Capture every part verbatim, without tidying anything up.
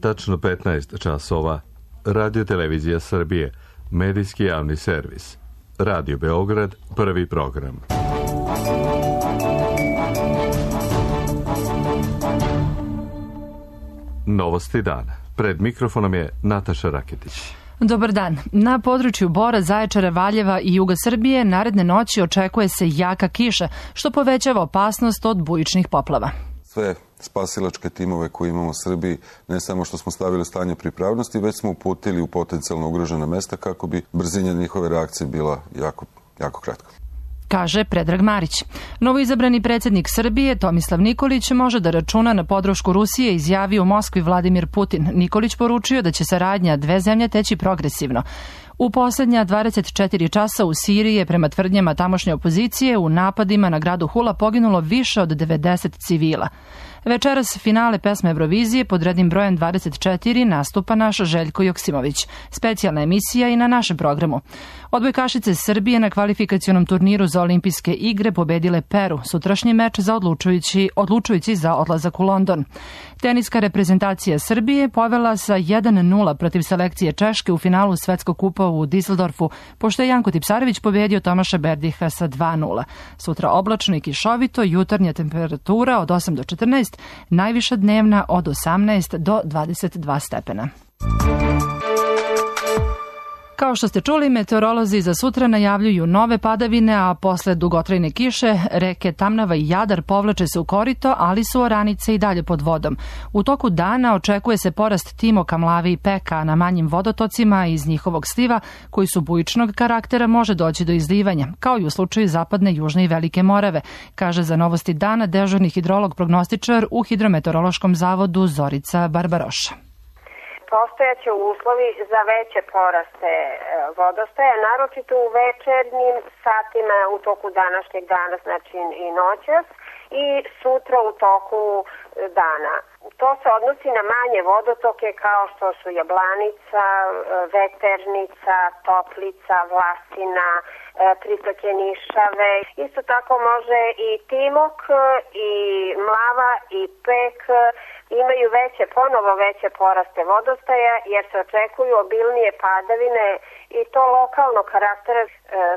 Tačno petnaest časova. Radio Televizija Srbije, medijski javni servis. Radio Beograd, prvi program. Novosti dana. Pred mikrofonom je Nataša Raketić. Dobar dan. Na području Bora, Zaječara, Valjeva i juga Srbije naredne noći očekuje se jaka kiša, što povećava opasnost od bujičnih poplava. Sve spasilačke timove koje imamo u Srbiji, ne samo što smo stavili stanje pripravnosti, već smo uputili u potencijalno ugrožena mesta kako bi brzina njihove reakcije bila jako, jako kratka. Kaže Predrag Marić. Novoizabrani predsjednik Srbije Tomislav Nikolić može da računa na podršku Rusije, izjavio u Moskvi Vladimir Putin. Nikolić poručio da će saradnja dve zemlje teći progresivno. U posljednja dvadeset četiri časa u Siriji je prema tvrdnjama tamošnje opozicije u napadima na gradu Hula poginulo više od devedeset civila. Večeras finale pesme Eurovizije pod rednim brojem dvadeset četiri nastupa naš Željko Joksimović. Specijalna emisija i na našem programu. Odbojkašice Srbije na kvalifikacionom turniru za olimpijske igre pobedile Peru. Sutrašnji meč za odlučujući, odlučujući za odlazak u London. Teniska reprezentacija Srbije povela sa jedan nula protiv selekcije Češke u finalu Svetskog kupa u Düsseldorfu, pošto je Janko Tipsarević pobedio Tomaša Berdiha sa dva nula. Sutra oblačno i kišovito, jutarnja temperatura od osam do četrnaest, najviša dnevna od osamnaest do dvadeset dva stepena. Kao što ste čuli, meteorolozi za sutra najavljuju nove padavine, a posle dugotrajne kiše reke Tamnava i Jadar povlače se u korito, ali su oranice i dalje pod vodom. U toku dana očekuje se porast Timoka, Mlave i Peka, na manjim vodotocima iz njihovog sliva, koji su bujičnog karaktera, može doći do izlivanja, kao i u slučaju zapadne, južne i Velike Morave, kaže za Novosti dana dežurni hidrolog prognostičar u Hidrometeorološkom zavodu Zorica Barbaroša. Postojaće uslovi za veće poraste vodostaja, naročito u večernjim satima u toku današnjeg dana, znači i noćas, i sutra u toku dana. To se odnosi na manje vodotoke kao što su Jablanica, Veternica, Toplica, Vlasina, pritoke Nišave. Isto tako može i Timok, i Mlava, i Pek imaju veće, ponovo veće poraste vodostaja, jer se očekuju obilnije padavine i to lokalnog karaktera.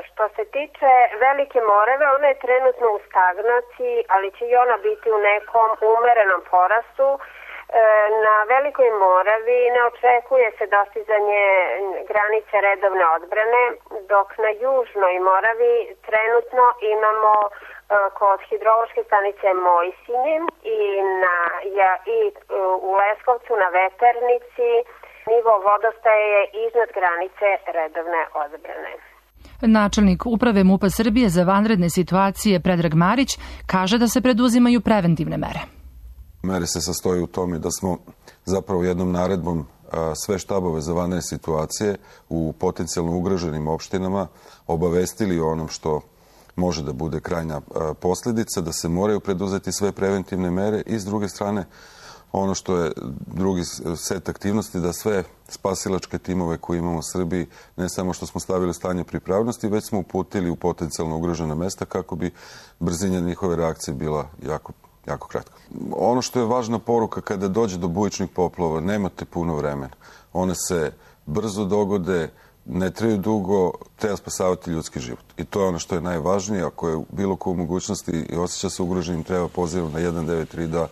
Što se tiče Velike Morave, ona je trenutno u stagnaciji, ali će i ona biti u nekom umerenom porastu. Na Velikoj Moravi ne očekuje se dostizanje granice redovne odbrane, dok na Južnoj Moravi trenutno imamo kod hidrološke stanice Mojsinje i, na, ja, i u Leskovcu na Veternici nivo vodostaje je iznad granice redovne odbrane. Načelnik uprave MUP-a Srbije za vanredne situacije Predrag Marić kaže da se preduzimaju preventivne mere. Mere se sastoji u tome da smo zapravo jednom naredbom sve štabove za vanredne situacije u potencijalno ugroženim opštinama obavestili o onom što može da bude krajnja posljedica, da se moraju preduzeti sve preventivne mere i s druge strane ono što je drugi set aktivnosti, da sve spasilačke timove koje imamo u Srbiji, ne samo što smo stavili stanje pripravnosti, već smo uputili u potencijalno ugrožena mesta kako bi brzina njihove reakcije bila jako jako kratko. Ono što je važna poruka kada dođe do bujičnih poplava, nemate puno vremena. One se brzo dogode, ne traju dugo, treba spasavati ljudski život. I to je ono što je najvažnije. Ako je bilo ko u mogućnosti i osjeća se ugroženim, treba pozivom na jedan devet tri da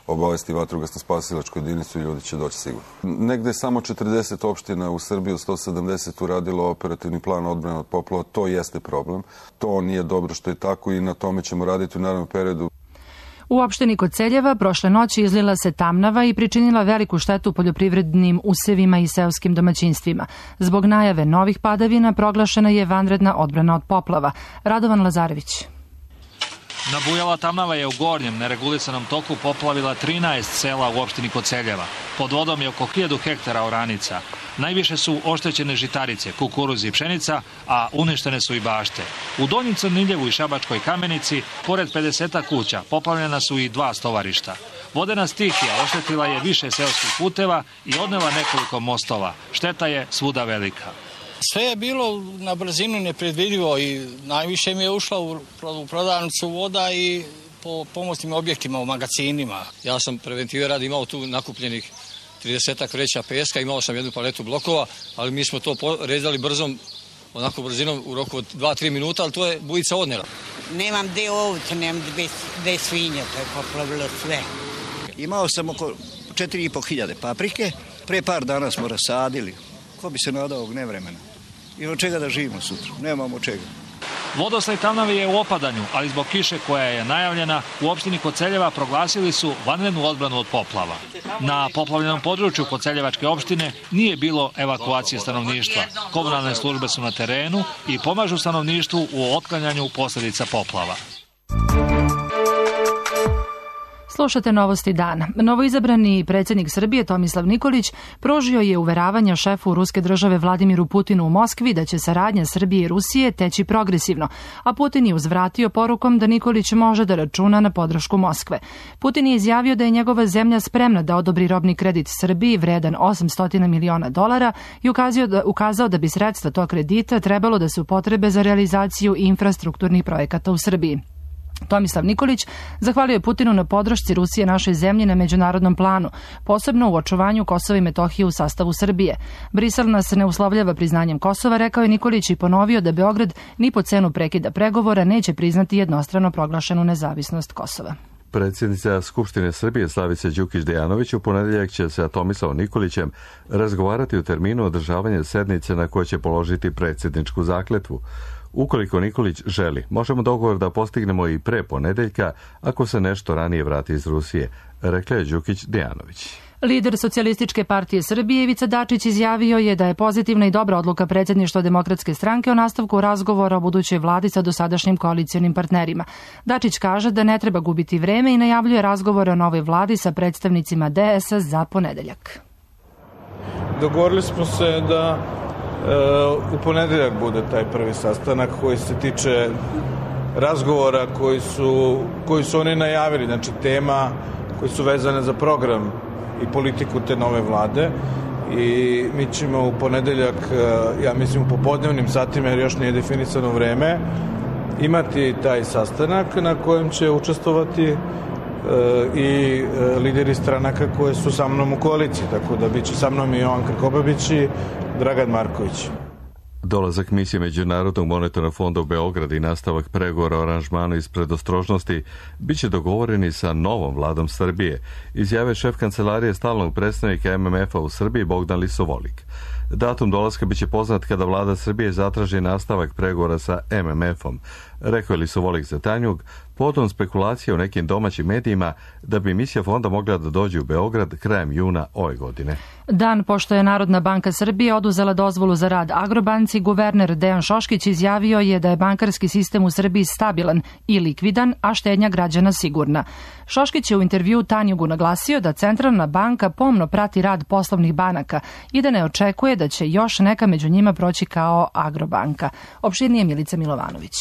obavesti vatrogasno spasilačku jedinicu i ljudi će doći sigurno. Negde je samo četrdeset opština u Srbiji, sto sedamdeset uradilo operativni plan odbrane od poplava. To jeste problem. To nije dobro što je tako i na tome ćemo raditi u narednom periodu. U opštini Koceljeva prošle noći izlila se Tamnava i pričinila veliku štetu poljoprivrednim usevima i seoskim domaćinstvima. Zbog najave novih padavina proglašena je vanredna odbrana od poplava. Radovan Lazarević. Nabujala Tamnava je u gornjem neregulisanom toku poplavila trinaest sela u opštini Koceljeva. Pod vodom je oko hiljadu hektara oranica. Najviše su oštećene žitarice, kukuruz i pšenica, a uništene su i bašte. U Donjem Crniljevu i Šabačkoj Kamenici, pored pedeseta kuća, poplavljena su i dva stovarišta. Vodena stihija oštetila je više seoskih puteva i odnela nekoliko mostova. Šteta je svuda velika. Sve je bilo na brzinu nepredvidivo i najviše mi je ušla u prodavnicu voda i po pomoćnim objektima, u magacinima. Ja sam preventive radi imao tu nakupljenih tridesetak vreća peska, imao sam jednu paletu blokova, ali mi smo to rezali brzom, onako brzinom u roku od dva do tri minuta, ali to je bujica odnela. Nemam gde ovce, nemam gde svinja, to je poplavilo sve. Imao sam oko četiri i po hiljade paprike, pre par dana smo rasadili. Ko bi se nadao ovog nevremena? I od čega da živimo sutra? Nemamo čega. Vodostaj Tamnave je u opadanju, ali zbog kiše koja je najavljena, u opštini Koceljeva proglasili su vanrednu odbranu od poplava. Na poplavljenom području Koceljevačke opštine nije bilo evakuacije stanovništva. Komunalne službe su na terenu i pomažu stanovništvu u otklanjanju posljedica poplava. Slušate Novosti dana. Novoizabrani predsjednik Srbije Tomislav Nikolić pružio je uveravanja šefu ruske države Vladimiru Putinu u Moskvi da će saradnja Srbije i Rusije teći progresivno, a Putin je uzvratio porukom da Nikolić može da računa na podršku Moskve. Putin je izjavio da je njegova zemlja spremna da odobri robni kredit Srbiji vredan osamsto miliona dolara i ukazao da, ukazao da bi sredstva tog kredita trebalo da se upotrebe za realizaciju infrastrukturnih projekata u Srbiji. Tomislav Nikolić zahvalio je Putinu na podršci Rusije našoj zemlji na međunarodnom planu, posebno u očuvanju Kosova i Metohije u sastavu Srbije. Brisel nas ne uslovljava priznanjem Kosova, rekao je Nikolić i ponovio da Beograd ni po cenu prekida pregovora neće priznati jednostrano proglašenu nezavisnost Kosova. Predsjednica Skupštine Srbije Slavica Đukić-Dejanović u ponedjeljak će sa Tomislavom Nikolićem razgovarati u terminu održavanja sednice na kojoj će položiti predsjedničku zakletvu. Ukoliko Nikolić želi, možemo dogovor da postignemo i pre ponedeljka ako se nešto ranije vrati iz Rusije, rekla je Đukić-Dejanović. Lider Socijalističke partije Srbije Ivica Dačić izjavio je da je pozitivna i dobra odluka predsjedništva Demokratske stranke o nastavku razgovora o budućoj vladi sa dosadašnjim koalicionim partnerima. Dačić kaže da ne treba gubiti vreme i najavljuje razgovore o novoj vladi sa predstavnicima D S S za ponedeljak. Dogovorili smo se da u ponedeljak bude taj prvi sastanak koji se tiče razgovora koji su, koji su oni najavili, znači tema koji su vezane za program i politiku te nove vlade i mi ćemo u ponedeljak, ja mislim u popodnevnim satima jer još nije definisano vreme, imati taj sastanak na kojem će učestvovati i lideri stranaka koje su sa mnom u koaliciji, tako da bit će sa mnom i Jovan Krkobabić i Dragan Marković. Dolazak misije Međunarodnog monetarnog fonda u Beograd i nastavak pregovora o aranžmanu iz predostrožnosti biće dogovoreni sa novom vladom Srbije, izjave šef kancelarije stalnog predstavnika M M F-a u Srbiji Bogdan Lisovolik. Datum dolaska biće poznat kada vlada Srbije zatraži nastavak pregovora sa M M F-om, rekao je Lisovolik za Tanjug, potom spekulacije u nekim domaćim medijima da bi misija fonda mogla da dođe u Beograd krajem juna ove godine. Dan pošto je Narodna banka Srbije oduzela dozvolu za rad Agrobanci, guverner Dejan Šoškić izjavio je da je bankarski sistem u Srbiji stabilan i likvidan, a štednja građana sigurna. Šoškić je u intervjuu Tanjugu naglasio da Centralna banka pomno prati rad poslovnih banaka i da ne očekuje da će još neka među njima proći kao Agrobanka. Opširnije Milica Milovanović.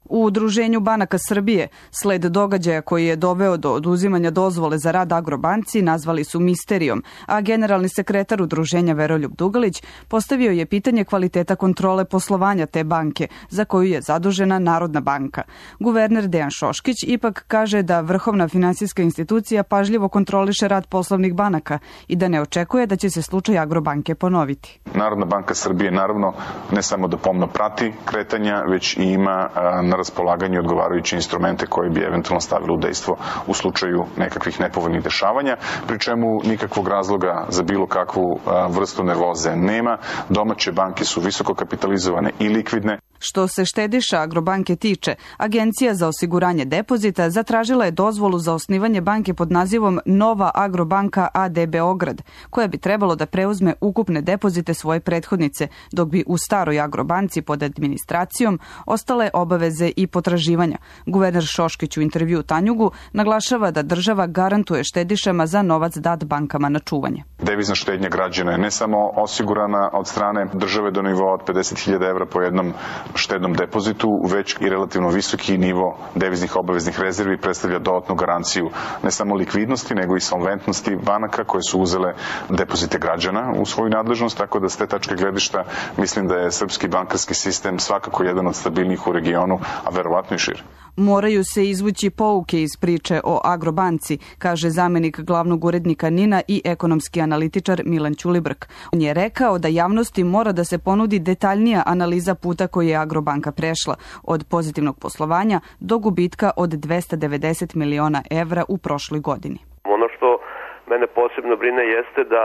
U Udruženju banaka Srbije sled događaja koji je doveo do oduzimanja dozvole za rad Agrobanci nazvali su misterijom, a generalni sekretar Udruženja Veroljub Dugalić postavio je pitanje kvaliteta kontrole poslovanja te banke, za koju je zadužena Narodna banka. Guverner Dejan Šoškić ipak kaže da vrhovna finansijska institucija pažljivo kontroliše rad poslovnih banaka i da ne očekuje da će se slučaj Agrobanke ponoviti. Narodna banka Srbije naravno ne samo da pomno prati kretanja, već i ima na raspolaganju odgovarajuće instrumente koje bi eventualno stavili u dejstvo u slučaju nekakvih nepovoljnih dešavanja, pri čemu nikakvog razloga za bilo kakvu vrstu nervoze nema. Domaće banke su visoko kapitalizovane i likvidne. Što se štediša Agrobanke tiče, Agencija za osiguranje depozita zatražila je dozvolu za osnivanje banke pod nazivom Nova Agrobanka A D Beograd, koja bi trebalo da preuzme ukupne depozite svoje prethodnice, dok bi u staroj Agrobanci pod administracijom ostale obaveze i potraživanja. Guverner Šoškić u intervjuu Tanjugu naglašava da država garantuje štedišama za novac dat bankama na čuvanje. Devizna štednja građana je ne samo osigurana od strane države do nivoa od pedeset hiljada evra po jednom štednom depozitu, već i relativno visoki nivo deviznih obaveznih rezervi predstavlja dodatnu garanciju ne samo likvidnosti, nego i solventnosti banaka koje su uzele depozite građana u svoju nadležnost, tako da s te tačke gledišta mislim da je srpski bankarski sistem svakako jedan od stabilnijih u regionu a verovatno i šire. Moraju se izvući pouke iz priče o Agrobanci, kaže zamenik glavnog urednika NIN-a i ekonomski analitičar Milan Ćulibrk. On je rekao da javnosti mora da se ponudi detaljnija analiza puta koji je Agrobanka prešla, od pozitivnog poslovanja do gubitka od dvesta devedeset miliona evra u prošloj godini. Ono što mene posebno brine jeste da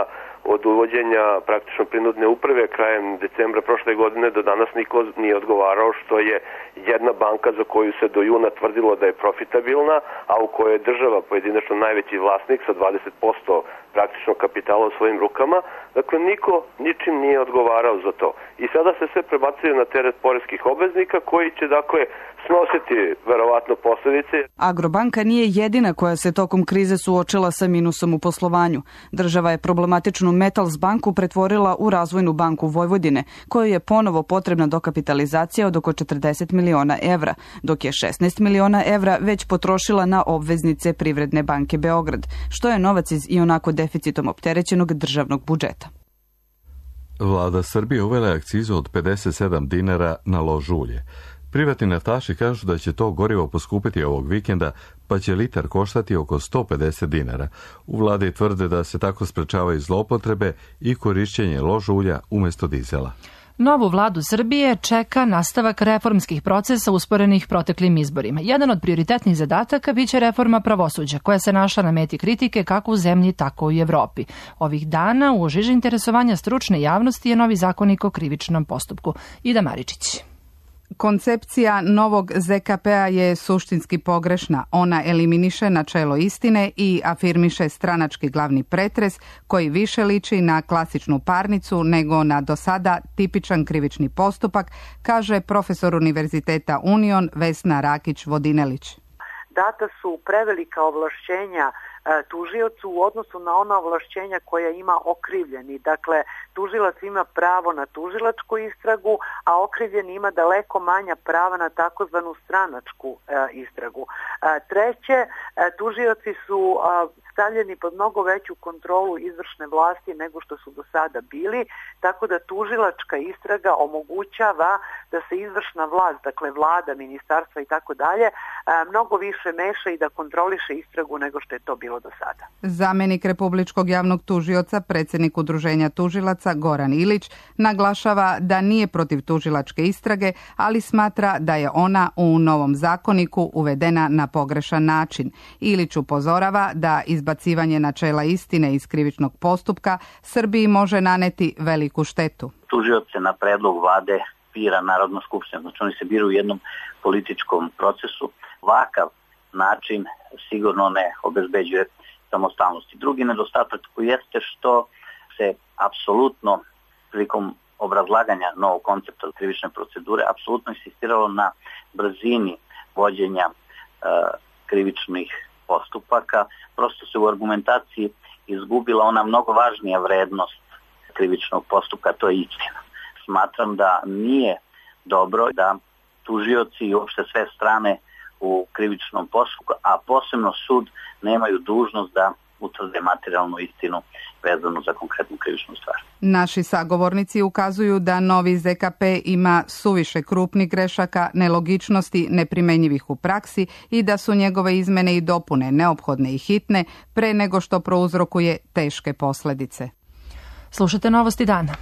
od uvođenja praktično prinudne uprave krajem decembra prošle godine do danas niko nije odgovarao što je jedna banka za koju se do juna tvrdilo da je profitabilna, a u kojoj je država pojedinačno najveći vlasnik sa dvadeset posto praktično kapitala u svojim rukama. Dakle, niko ničim nije odgovarao za to. I sada se sve prebacuje na teret poreskih obveznika koji će, dakle, snositi verovatno posledice. Agrobanka nije jedina koja se tokom krize suočila sa minusom u poslovanju. Država je problematičnu Metals banku pretvorila u Razvojnu banku Vojvodine, kojoj je ponovo potrebna dokapitalizacija od oko četrdeset miliona evra, dok je šesnaest miliona evra već potrošila na obveznice Privredne banke Beograd, što je novac iz ionako deficitom opterećenog državnog budžeta. Vlada Srbije uvela akcizu od pedeset sedam dinara na lož ulje. Privatni naftaši kažu da će to gorivo poskupiti ovog vikenda, pa će litar koštati oko sto pedeset dinara. U vladi tvrde da se tako sprečavaju zloupotrebe i korišćenje lož ulja umjesto dizela. Novu vladu Srbije čeka nastavak reformskih procesa usporenih proteklim izborima. Jedan od prioritetnih zadataka biće reforma pravosuđa, koja se našla na meti kritike kako u zemlji, tako i u Evropi. Ovih dana u žiži interesovanja stručne javnosti je novi zakonik o krivičnom postupku. Ida Maričić. Koncepcija novog Z K P-a je suštinski pogrešna. Ona eliminiše načelo istine i afirmiše stranački glavni pretres koji više liči na klasičnu parnicu nego na do sada tipičan krivični postupak, kaže profesor Univerziteta Union Vesna Rakić-Vodinelić. Data su prevelika ovlašćenja tužiocu u odnosu na ona ovlašćenja koja ima okrivljeni. Dakle, tužilac ima pravo na tužilačku istragu, a okrivljeni ima daleko manja prava na takozvanu stranačku e, istragu. E, treće, e, tužioci su e, stavljeni pod mnogo veću kontrolu izvršne vlasti nego što su do sada bili, tako da tužilačka istraga omogućava da se izvršna vlast, dakle vlada, ministarstva i tako dalje, mnogo više meša i da kontroliše istragu nego što je to bilo do sada. Zamenik Republičkog javnog tužioca, predsjednik Udruženja tužilaca Goran Ilić, naglašava da nije protiv tužilačke istrage, ali smatra da je ona u novom zakoniku uvedena na pogrešan način. Ilić upozorava da izbacivanje načela istine iz krivičnog postupka Srbiji može naneti veliku štetu. Tužioc se na predlog vlade bira Narodna skupština, znači oni se biraju u jednom političkom procesu. Ovakav način sigurno ne obezbeđuje samostalnosti. Drugi nedostatak jeste što se apsolutno prilikom obrazlaganja novog koncepta krivične procedure apsolutno insistiralo na brzini vođenja e, krivičnih postupaka. Prosto se u argumentaciji izgubila ona mnogo važnija vrednost krivičnog postupka, to je istina. Smatram da nije dobro da tužioci i uopšte sve strane u krivičnom postupku, a posebno sud, nemaju dužnost da utvrde materijalnu istinu vezanu za konkretnu krivičnu stvar. Naši sagovornici ukazuju da novi Z K P ima suviše krupnih grešaka, nelogičnosti, neprimenjivih u praksi i da su njegove izmene i dopune neophodne i hitne pre nego što prouzrokuje teške posljedice. Slušajte novosti dana.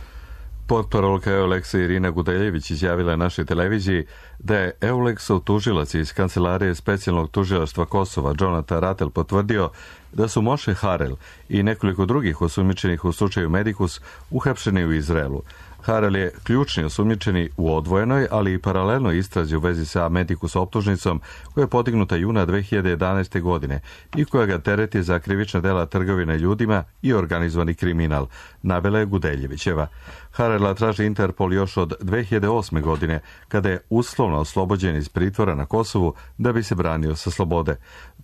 Potparolka Euleksa Irina Gudeljević izjavila našoj televiziji da je Euleksov tužilac iz Kancelarije specijalnog tužilaštva Kosova Jonathan Ratel potvrdio da su Moshe Harel i nekoliko drugih osumnjičenih u slučaju Medikus uhapšeni u Izraelu. Harel je ključni osumnjičeni u odvojenoj, ali i paralelnoj istrazi u vezi sa Medikus optužnicom koja je podignuta juna dve hiljade jedanaeste. godine i koja ga tereti za krivična dela trgovine ljudima i organizovani kriminal, navela je Gudeljevićeva. Harela traži Interpol još od dve hiljade osme. godine, kada je uslovno oslobođen iz pritvora na Kosovu da bi se branio sa slobode.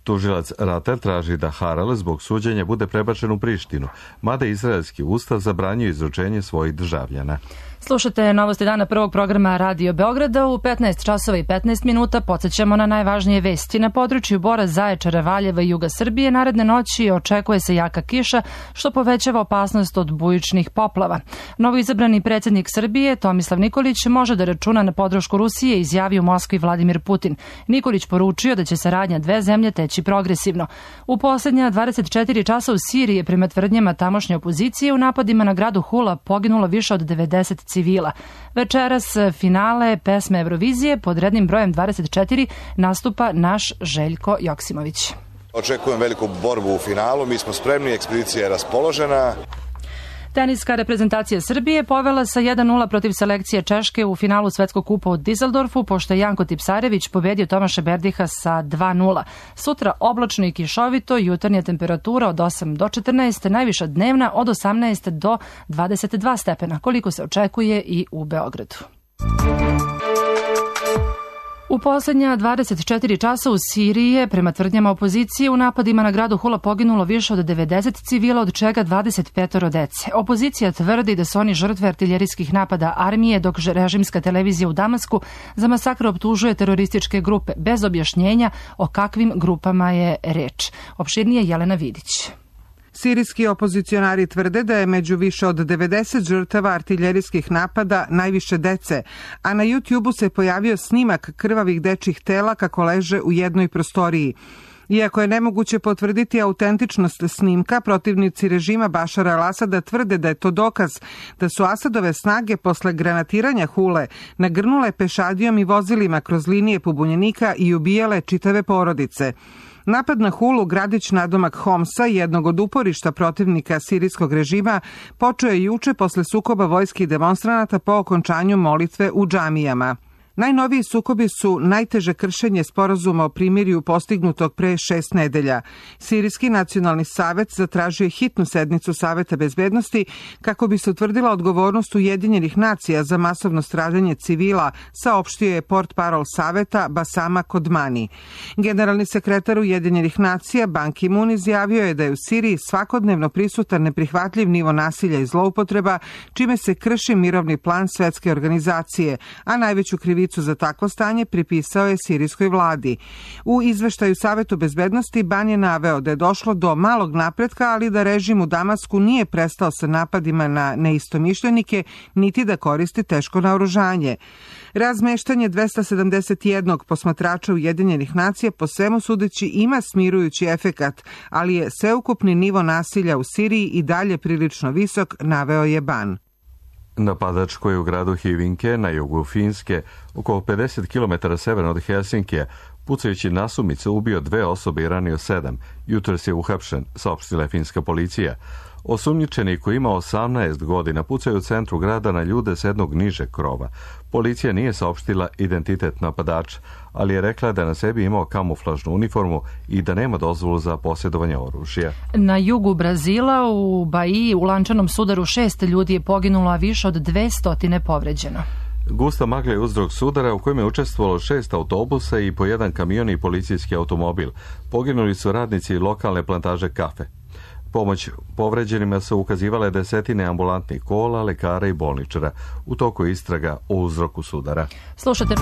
Tužilac Ratel traži da Harel zbog suđenja bude prebačen u Prištinu, mada izraelski ustav zabranjuje izručenje svojih državljana. Slušate novosti dana prvog programa Radio Beograda u petnaest časova i petnaest minuta. Podsećamo na najvažnije vesti. Na području Bora, Zaječara, Valjeva i juga Srbije naredne noći očekuje se jaka kiša, što povećava opasnost od bujičnih poplava. Novoizabrani predsjednik Srbije Tomislav Nikolić može da računa na podršku Rusije, izjavio u Moskvi Vladimir Putin. Nikolić poručio da će saradnja dve zemlje teći progresivno. U posljednja dvadeset četiri časa u Siriji je prema tvrdnjama tamošnje opozicije u napadima na gradu Hula poginulo više od devedeset civila. Večeras finale pesme Eurovizije pod rednim brojem dvadeset četiri nastupa naš Željko Joksimović. Očekujem veliku borbu u finalu, mi smo spremni, ekspedicija je raspoložena. Teniska reprezentacija Srbije povela sa jedan nula protiv selekcije Češke u finalu Svetskog kupa u Dizeldorfu, pošto je Janko Tipsarević pobedio Tomaša Berdiha sa dva nula. Sutra oblačno i kišovito, jutarnja temperatura od osam do četrnaest, najviša dnevna od osamnaest do dvadeset dva stepena, koliko se očekuje i u Beogradu. U posljednja dvadeset četiri časa u Siriji je, prema tvrdnjama opozicije, u napadima na gradu Hula poginulo više od devedeset civila, od čega dvadeset pet dece. Opozicija tvrdi da su oni žrtve artiljerijskih napada armije, dok režimska televizija u Damasku za masakr optužuje terorističke grupe, bez objašnjenja o kakvim grupama je reč. Opširnije Jelena Vidić. Sirijski opozicionari tvrde da je među više od devedeset žrtava artiljerijskih napada najviše dece, a na YouTubeu se pojavio snimak krvavih dečjih tela kako leže u jednoj prostoriji. Iako je nemoguće potvrditi autentičnost snimka, protivnici režima Bašara al-Asada tvrde da je to dokaz da su Asadove snage posle granatiranja Hule nagrnule pešadijom i vozilima kroz linije pobunjenika i ubijale čitave porodice. Napad na Hulu, gradić nadomak Homsa, jednog od uporišta protivnika sirijskog režima, počeo je juče posle sukoba vojske i demonstranata po okončanju molitve u džamijama. Najnoviji sukobi su najteže kršenje sporazuma o primirju postignutog pre šest nedelja. Sirijski nacionalni savet zatražio je hitnu sednicu Saveta bezbednosti kako bi se utvrdila odgovornost Ujedinjenih nacija za masovno stradanje civila, saopštio je portparol Saveta Basama Kodmani. Generalni sekretar Ujedinjenih nacija Ban Ki-moon izjavio je da je u Siriji svakodnevno prisutan neprihvatljiv nivo nasilja i zloupotreba, čime se krši mirovni plan Svetske organizacije, a najveću krivicu za takvo stanje pripisao je sirijskoj vladi. U izveštaju Savetu bezbednosti Ban je naveo da je došlo do malog napretka, ali da režim u Damasku nije prestao sa napadima na neistomišljenike, niti da koristi teško naoružanje. Razmeštanje dvesta sedamdeset jednog posmatrača Ujedinjenih nacija po svemu sudeći ima smirujući efekat, ali je sveukupni nivo nasilja u Siriji i dalje prilično visok, naveo je Ban. Napadač koji je u gradu Hyvinkė na jugu Finske, oko pedeset kilometara severno od Helsinkija, pucajući nasumice ubio dve osobe i ranio sedam. Jutros je uhapšen, saopštila je finska policija. Osumnjičeni koji ima osamnaest godina pucaju u centru grada na ljude s jednog nižeg krova. Policija nije saopštila identitet napadača, ali je rekla da na sebi imao kamuflažnu uniformu i da nema dozvolu za posjedovanje oružja. Na jugu Brazila u Bahiji u lančanom sudaru šest ljudi je poginulo, a više od dvesta povređeno. Gusta magla je uzrok sudara u kojem je učestvovalo šest autobusa i po jedan kamion i policijski automobil. Poginuli su radnici lokalne plantaže kafe. Pomoć povređenima su ukazivale desetine ambulantnih kola, lekara i bolničara. U toku istraga o uzroku sudara. Slušate...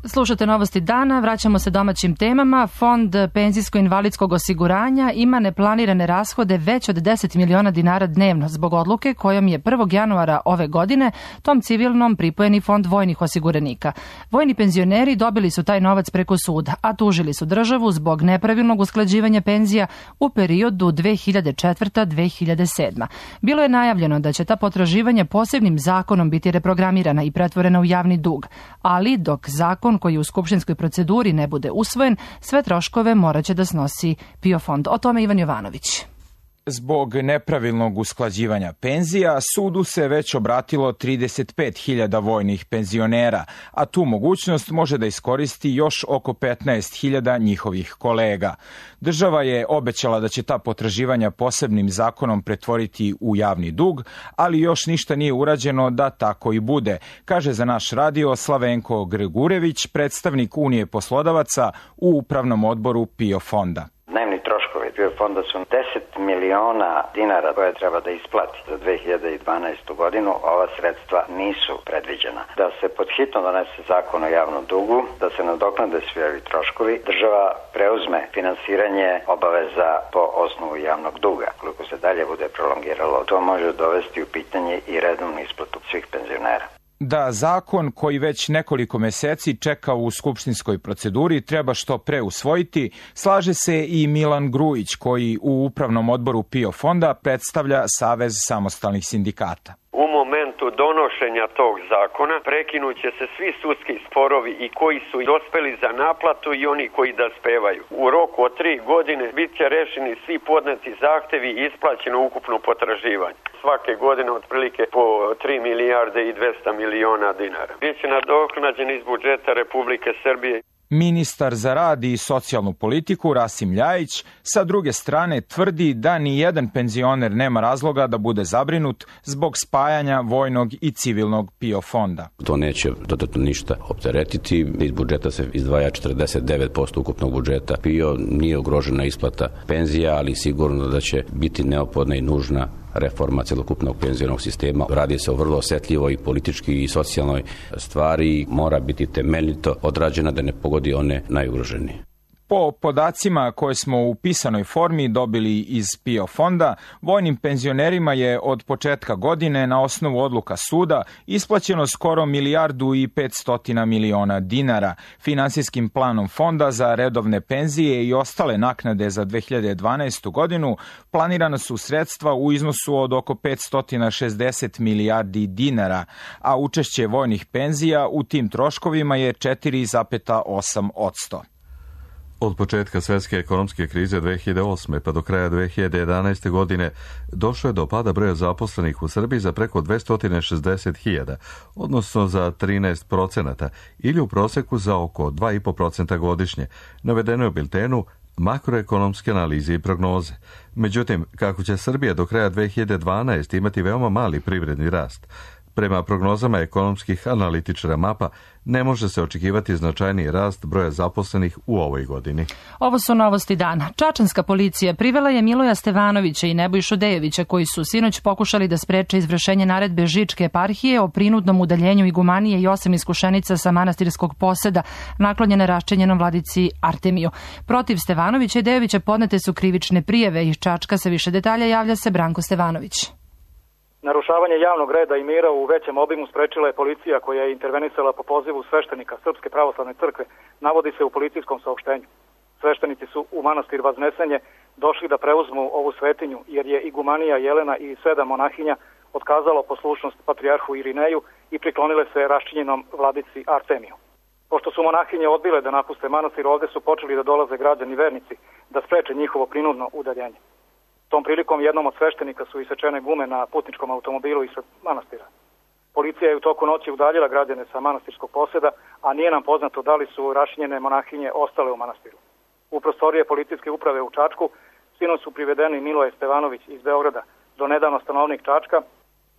Slušate novosti dana, vraćamo se domaćim temama. Fond penzijsko-invalidskog osiguranja ima neplanirane rashode već od deset miliona dinara dnevno zbog odluke kojom je prvog januara ove godine tom civilnom pripojeni fond vojnih osiguranika. Vojni penzioneri dobili su taj novac preko suda, a tužili su državu zbog nepravilnog usklađivanja penzija u periodu dve hiljade četvrta do dve hiljade sedma. Bilo je najavljeno da će ta potraživanja posebnim zakonom biti reprogramirana i pretvorena u javni dug, ali dok zakon koji u skupštinskoj proceduri ne bude usvojen, sve troškove moraće da snosi PIO fond. O tome Ivan Jovanović. Zbog nepravilnog usklađivanja penzija, sudu se već obratilo trideset pet hiljada vojnih penzionera, a tu mogućnost može da iskoristi još oko petnaest hiljada njihovih kolega. Država je obećala da će ta potraživanja posebnim zakonom pretvoriti u javni dug, ali još ništa nije urađeno da tako i bude, kaže za naš radio Slavenko Gregurević, predstavnik Unije poslodavaca u upravnom odboru PIO fonda. Dnevni troškovi PIO fonda su deset miliona dinara koje treba da isplati za dve hiljade dvanaestu godinu. Ova sredstva nisu predviđena. Da se podhitno donese zakon o javnom dugu, da se nadoknade svi ovi troškovi, država preuzme finansiranje obaveza po osnovu javnog duga. Koliko se dalje bude prolongiralo, to može dovesti u pitanje i redovnu isplatu svih penzionera. Da zakon koji već nekoliko meseci čeka u skupštinskoj proceduri treba što pre usvojiti, slaže se i Milan Grujić koji u upravnom odboru PIO fonda predstavlja Savez samostalnih sindikata. U momentu donošenja tog zakona prekinuće se svi sudski sporovi i koji su dospeli za naplatu i oni koji da spevaju. U roku od tri godine bit će rešeni svi podneti zahtevi i isplaćeno ukupno potraživanje. Svake godine otprilike po tri milijarde i dvesta miliona dinara. Biće nadoknađen iz budžeta Republike Srbije. Ministar za rad i socijalnu politiku Rasim Ljajić sa druge strane tvrdi da ni jedan penzioner nema razloga da bude zabrinut zbog spajanja vojnog i civilnog PIO fonda. To neće dodatno ništa opteretiti. Iz budžeta se izdvaja četrdeset devet posto ukupnog budžeta. PIO nije ugrožena isplata penzija, ali sigurno da će biti neophodna i nužna reforma celokupnog penzionog sistema. Radi se o vrlo osetljivoj i politički i socijalnoj stvari, mora biti temeljito odrađena da ne pogodi one najugroženije. Po podacima koje smo u pisanoj formi dobili iz PIO fonda, vojnim penzionerima je od početka godine na osnovu odluka suda isplaćeno skoro milijardu i petstotina miliona dinara. Finansijskim planom fonda za redovne penzije i ostale naknade za dve hiljade dvanaestu godinu planirana su sredstva u iznosu od oko petsto šezdeset milijardi dinara, a učešće vojnih penzija u tim troškovima je četiri zarez osam posto. Od početka svetske ekonomske krize dve hiljade osme pa do kraja dve hiljade jedanaeste godine došlo je do pada broja zaposlenih u Srbiji za preko dvesta šezdeset hiljada, odnosno za trinaest procenata ili u proseku za oko dva i po procenta godišnje, navedeno je u biltenu makroekonomske analize i prognoze. Međutim, kako će Srbija do kraja dve hiljade dvanaeste imati veoma mali privredni rast, prema prognozama ekonomskih analitičara mapa, ne može se očekivati značajniji rast broja zaposlenih u ovoj godini. Ovo su novosti dana. Čačanska policija privela je Miloja Stevanovića i Nebojšu Dejovića, koji su sinoć pokušali da spreče izvršenje naredbe Žičke eparhije o prinudnom udaljenju igumanije i osam iskušenica sa manastirskog poseda, naklonjene raščenjenom vladici Artemiju. Protiv Stevanovića i Dejovića podnete su krivične prijave. Iz Čačka sa više detalja javlja se Branko Stevanović. Narušavanje javnog reda i mira u većem obimu sprečila je policija koja je intervenisala po pozivu sveštenika Srpske pravoslavne crkve, navodi se u policijskom saopštenju. Sveštenici su u manastir Vaznesenje došli da preuzmu ovu svetinju jer je igumanija Jelena i sedam monahinja otkazalo poslušnost patrijarhu Irineju i priklonile se raščinjenom vladici Artemiju. Pošto su monahinje odbile da napuste manastir, ovde su počeli da dolaze građani vernici da spreče njihovo prinudno udaljenje. Tom prilikom jednom od sveštenika su isečene gume na putničkom automobilu ispred manastira. Policija je u toku noći udaljila građane sa manastirskog poseda, a nije nam poznato da li su rašinjene monahinje ostale u manastiru. U prostorije policijske uprave u Čačku sinoć su privedeni Miloje Stevanović iz Beograda, do nedavno stanovnik Čačka,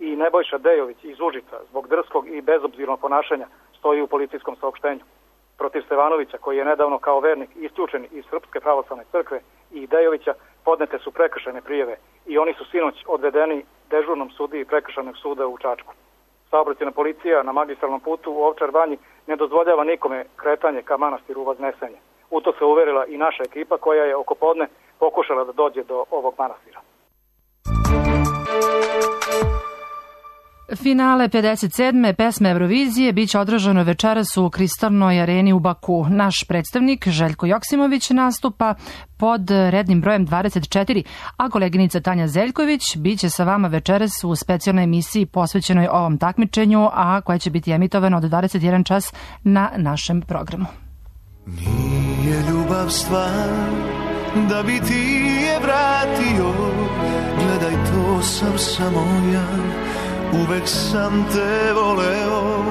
i Nebojša Dejović iz Užica zbog drskog i bezobzirnog ponašanja, stoji u policijskom saopštenju. Protiv Stevanovića, koji je nedavno kao vernik isključen iz Srpske pravoslavne crkve, i Dejovića podnete su prekršajne prijave i oni su sinoć odvedeni dežurnom sudiji prekršajnog suda u Čačku. Saobraćajna policija na magistralnom putu u Ovčar Banji ne dozvoljava nikome kretanje ka manastiru Vaznesenje. U to se uverila i naša ekipa koja je oko podne pokušala da dođe do ovog manastira. Finale pedeset sedme pesme Eurovizije biće održano večeras u Kristalnoj areni u Baku. Naš predstavnik Željko Joksimović nastupa pod rednim brojem dvadeset četiri, a koleginica Tanja Zeljković biće sa vama večeras u specijalnoj emisiji posvećenoj ovom takmičenju, a koja će biti emitovana od dvadeset jedan čas na našem programu. Nije ljubav stvar da bi ti je vratio, gledaj to sam samo ja, uvek sam te voleo.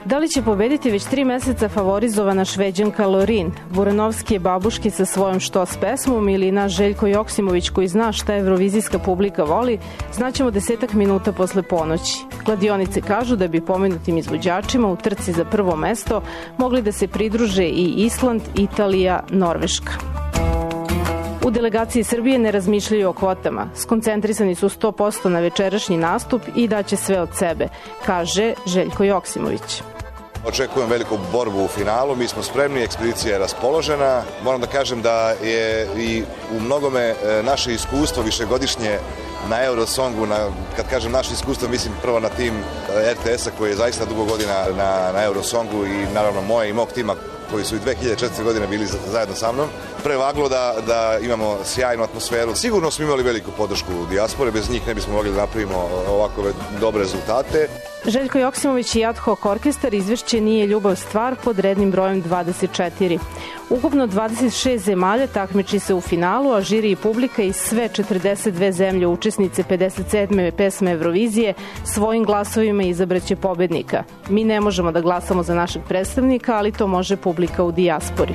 Da li će pobediti već tri meseca favorizovana Šveđanka Lorin, Buranovski je babuški sa svojom Štos pesmom ili naš Željko Joksimović koji zna šta evrovizijska publika voli, znaćemo desetak minuta posle ponoći. Kladionice kažu da bi pomenutim izvođačima u trci za prvo mesto mogli da se pridruže i Island, Italija, Norveška. U delegaciji Srbije ne razmišljaju o kvotama. Skoncentrisani su sto posto na večerašnji nastup i daće sve od sebe, kaže Željko Joksimović. Očekujem veliku borbu u finalu, mi smo spremni, ekspedicija je raspoložena. Moram da kažem da je i u mnogome naše iskustvo višegodišnje na Eurosongu, na, kad kažem naše iskustvo, mislim prvo na tim R T S-a koji je zaista dugo godina na, na Eurosongu i naravno moje i mog tima koji su i dve hiljade četvrte. godine bili zajedno sa mnom, prevaglo da, da imamo sjajnu atmosferu. Sigurno smo imali veliku podršku u dijaspore, bez njih ne bismo mogli da napravimo ovakove dobre rezultate. Željko Joksimović i Ad hoc orkestar izvešće Nije ljubav stvar pod rednim brojem dvadeset četiri. Ukupno dvadeset šest zemalja takmiči se u finalu, a žiri i publika iz sve četrdeset dve zemlje učesnice pedeset sedme pesme Eurovizije svojim glasovima izabraće pobednika. Mi ne možemo da glasamo za našeg predstavnika, ali to može publika u dijaspori.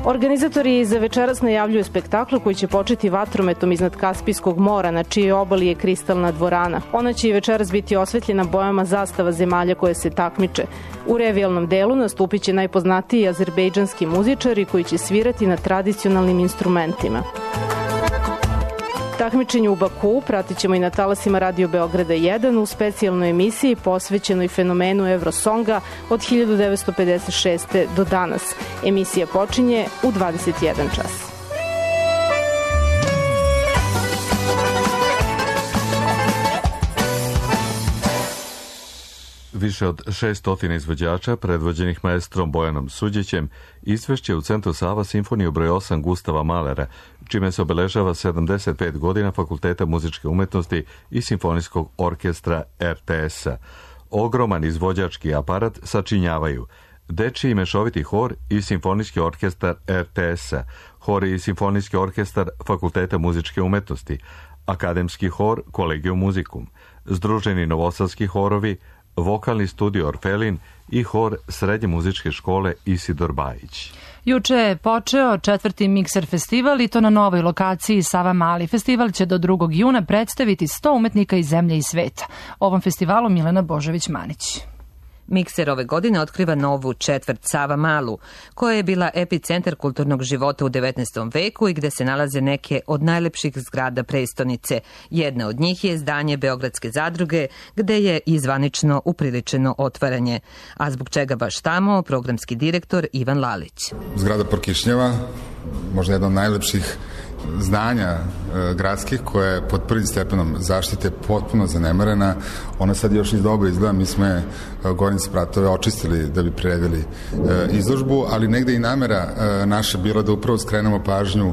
Organizatori za večeras najavljuju spektakl koji će početi vatrometom iznad Kaspijskog mora, na čijoj obali je kristalna dvorana. Ona će i večeras biti osvetljena bojama zastava zemalja koje se takmiče. U revijalnom delu nastupit će najpoznatiji azerbejdžanski muzičari koji će svirati na tradicionalnim instrumentima. Takmičenje u Bakuu pratit ćemo i na talasima Radio Beograda jedan u specijalnoj emisiji posvećenoj fenomenu Eurosonga od hiljadu devetsto pedeset šeste. do danas. Emisija počinje u dvadeset jedan čas. Više od šesto izvođača, predvođenih maestrom Bojanom Suđićem, izvešće u Centru Sava simfoniju broj osam Gustava Mahlera, čime se obeležava sedamdeset pet godina Fakulteta muzičke umetnosti i Simfonijskog orkestra R T S-a. Ogroman izvođački aparat sačinjavaju dečiji mešoviti hor i Simfonijski orkestar R T S-a, hor i Simfonijski orkestar Fakulteta muzičke umetnosti, akademski hor Collegium Musicum, združeni novosadski horovi, vokalni studio Orfelin i hor Srednje muzičke škole Isidor Bajić. Juče je počeo četvrti Mikser festival i to na novoj lokaciji Sava Mali. Festival će do drugog juna predstaviti sto umetnika iz zemlje i sveta. Ovom festivalu Milena Božović-Manić. Mikser ove godine otkriva novu četvrt Sava Malu, koja je bila epicentar kulturnog života u devetnaestom veku i gde se nalaze neke od najlepših zgrada prestonice. Jedna od njih je zdanje Beogradske zadruge, gde je i zvanično upriličeno otvaranje. A zbog čega baš tamo, programski direktor Ivan Lalić. Zgrada Porkišnjeva, možda jedna od najlepših zdanja e, gradskih, koja je pod prvim stepenom zaštite potpuno zanemarena. Ona sad još iz doba izgleda, mi smo je gornje spratove očistili da bi priredili e, izložbu, ali negde i namera e, naša bila da upravo skrenemo pažnju e,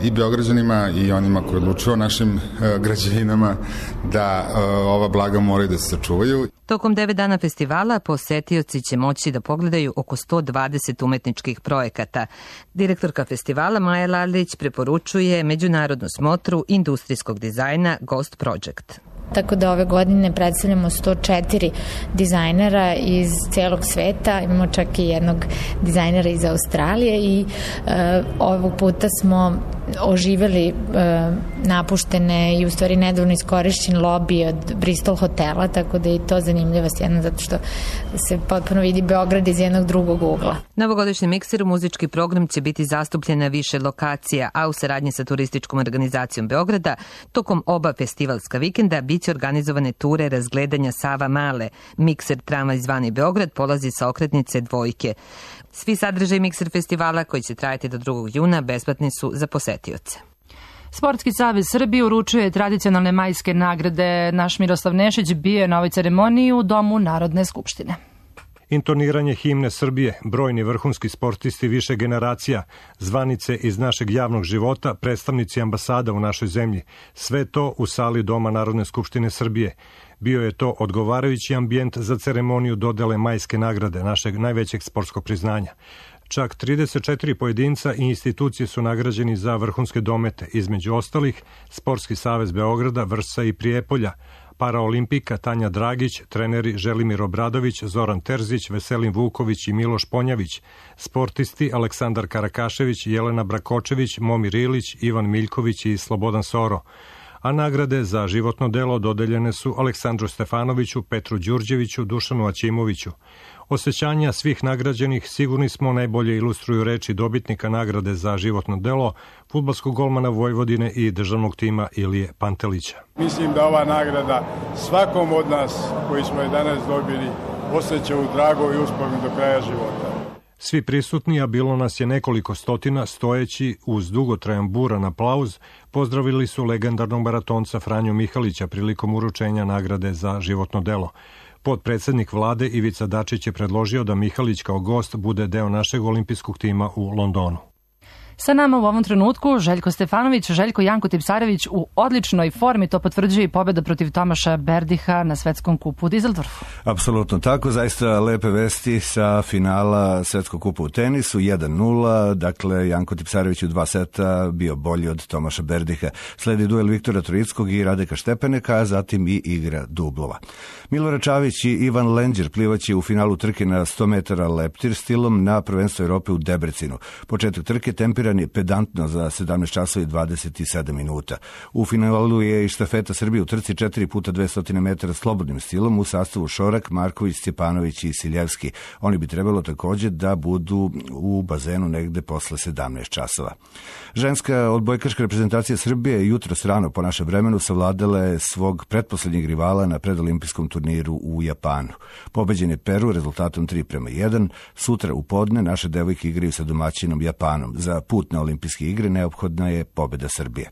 i Beograđanima i onima koji odlučuju o našim e, građevinama da e, ova blaga moraju da se sačuvaju. Tokom devet dana festivala posetioci će moći da pogledaju oko sto dvadeset umetničkih projekata. Direktorka festivala Maja Lalić preporučuje međunarodnu smotru industrijskog dizajna Ghost Project. Tako da ove godine predstavljamo sto četiri dizajnera iz celog sveta, imamo čak i jednog dizajnera iz Australije i e, ovog puta smo oživeli e, napuštene i u stvari nedavno iskorišćen lobby od Bristol hotela, tako da je i to zanimljivost jedna, zato što se potpuno vidi Beograd iz jednog drugog ugla. Na ovogodišnjem mikseru muzički program će biti zastupljen na više lokacija, a u saradnji sa turističkom organizacijom Beograda tokom oba festivalska vikenda biće organizovane ture razgledanja Sava Male. Mikser tramvaj zvani Beograd polazi sa okretnice Dvojke. Svi sadržaj Mikser festivala, koji će trajati do drugog juna, besplatni su za posetioce. Sportski savez Srbije uručuje tradicionalne majske nagrade. Naš Miroslav Nešić bio je na ovoj ceremoniji u Domu Narodne skupštine. Intoniranje himne Srbije, brojni vrhunski sportisti više generacija, zvanice iz našeg javnog života, predstavnici ambasada u našoj zemlji, sve to u sali Doma Narodne skupštine Srbije. Bio je to odgovarajući ambijent za ceremoniju dodele majske nagrade, našeg najvećeg sportskog priznanja. Čak trideset četiri pojedinca i institucije su nagrađeni za vrhunske domete, između ostalih Sportski savez Beograda, Vršca i Prijepolja, paraolimpika Tanja Dragić, treneri Želimir Obradović, Zoran Terzić, Veselin Vuković i Miloš Ponjavić, sportisti Aleksandar Karakašević, Jelena Brakočević, Momir Ilić, Ivan Miljković i Slobodan Soro. a nagrade za životno delo dodeljene su Aleksandru Stefanoviću, Petru Đurđeviću, Dušanu Aćimoviću. Osjećanja svih nagrađenih sigurni smo najbolje ilustruju reči dobitnika nagrade za životno delo, fudbalskog golmana Vojvodine i državnog tima Ilije Pantelića. Mislim da ova nagrada svakom od nas koji smo je danas dobili osjeća u drago i uspomin do kraja života. Svi prisutni, a bilo nas je nekoliko stotina, stojeći uz dugotrajan buran aplauz, pozdravili su legendarnog maratonca Franju Mihalića prilikom uručenja nagrade za životno delo. Potpredsednik vlade Ivica Dačić je predložio da Mihalić kao gost bude deo našeg olimpijskog tima u Londonu. Sa nama u ovom trenutku Željko Stefanović, Željko Janko Tipsarević u odličnoj formi, to potvrđuje i pobjeda protiv Tomaša Berdiha na svetskom kupu u Dizeldorfu. Apsolutno tako, zaista lepe vesti sa finala svetskog kupa u tenisu, jedan nula, dakle Janko Tipsarević u dva seta bio bolji od Tomaša Berdiha. Sledi duel Viktora Troickog i Radeka Štepeneka, a zatim i igra dublova. Milorad Čavić i Ivan Lenđer plivaće u finalu trke na sto metara leptir stilom na prvenstvo Evrope u Debrecinu. Početak trke tempiran je pedantno za sedamnaest časova i dvadeset sedam minuta. U finalu je i štafeta Srbije u trci četiri puta dvesta metara slobodnim stilom u sastavu Šorak, Marković, Stjepanović i Siljevski. Oni bi trebalo također da budu u bazenu negde posle sedamnaest časova. Ženska odbojkaška reprezentacija Srbije jutros rano po našem vremenu savladala je svog pretposlednjeg rivala na predolimpijskom turniru u Japanu. Pobeđen je Peru rezultatom tri prema jedan. Sutra u podne naše devojke igraju sa domaćinom Japanom. Za put na olimpijske igre neophodna je pobeda Srbije.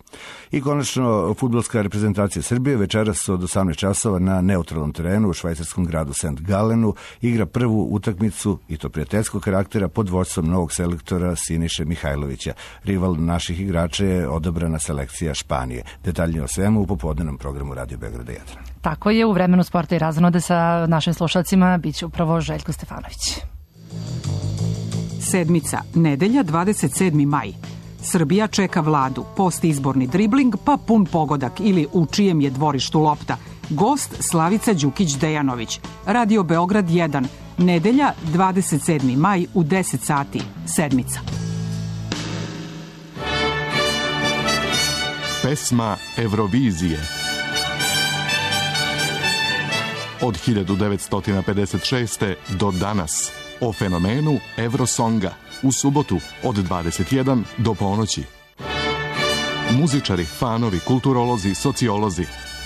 I konačno, fudbalska reprezentacija Srbije večeras od osamnaest časova na neutralnom terenu u švajcarskom gradu Saint Galenu igra prvu utakmicu, i to prijateljskog karaktera, pod vođstvom novog selektora Siniše Mihajlovića. Rival naših igrača je odabrana selekcija Španije. Detaljnije o svemu u popodnevnom programu Radio Beograda jedan. Tako je, u vremenu sporta i razonode sa našim slušalcima biće upravo Željko Stefanović. Sedmica, nedelja, dvadeset sedmi maj. Srbija čeka vladu, postizborni dribling pa pun pogodak ili u čijem je dvorištu lopta. Gost Slavica Đukić-Dejanović. Radio Beograd jedan, nedelja, dvadeset sedmi maj u deset sati. Sedmica. Pesma Eurovizije. Od hiljadu devetsto pedeset šeste. do danas. O fenomenu Eurosonga u subotu od dvadeset jedan do ponoći. Muzičari, fanovi, kulturolozi, sociolozi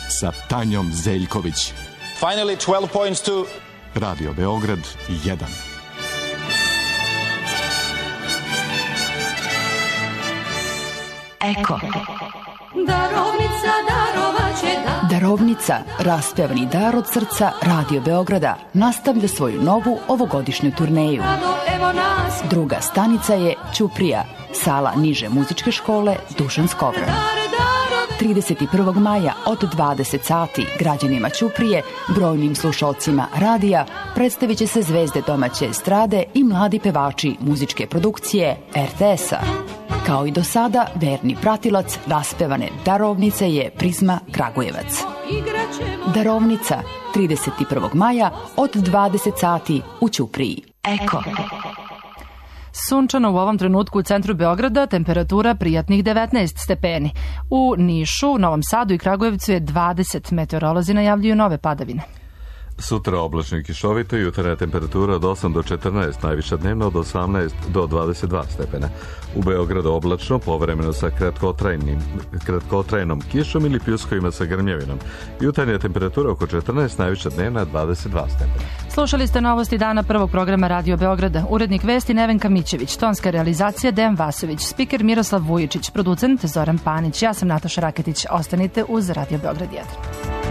sa Tanjom Zeljković. Finally twelve points to Radio Beograd jedan. Eko. Darovnica, darovaće da. Darovnica, raspevani dar od srca Radio Beograda, nastavlja svoju novu ovogodišnju turneju. Druga stanica je Ćuprija, sala niže muzičke škole Dušan Skovran. trideset prvog maja od dvadeset sati građanima Ćuprije, brojnim slušalcima radija, predstavit će se zvezde domaće estrade i mladi pevači muzičke produkcije er te es-a. Kao i do sada, verni pratilac raspevane Darovnice je Prizma Kragujevac. Darovnica, trideset prvog maja od dvadeset sati u Ćupriji. Eko. Sunčano u ovom trenutku u centru Beograda, temperatura prijatnih devetnaest stepeni. U Nišu, Novom Sadu i Kragujevcu je dvadeset, meteorolozi najavljuju nove padavine. Sutra oblačno i kišovito, jutarnja temperatura od osam do četrnaest, najviša dnevno od osamnaest do dvadeset dva stepena. U Beogradu oblačno, povremeno sa kratkotrajnim, kratkotrajnom kišom ili pljuskovima sa grmljavinom. Jutarnja temperatura oko četrnaest, najviša dnevna dvadeset dva stepena. Slušali ste novosti dana prvog programa Radio Beograda. Urednik vesti Nevenka Mićević, tonska realizacija Dejan Vasović, spiker Miroslav Vujičić, producent Zoran Panić. Ja sam Nataša Raketić. Ostanite uz Radio Beograd jedan.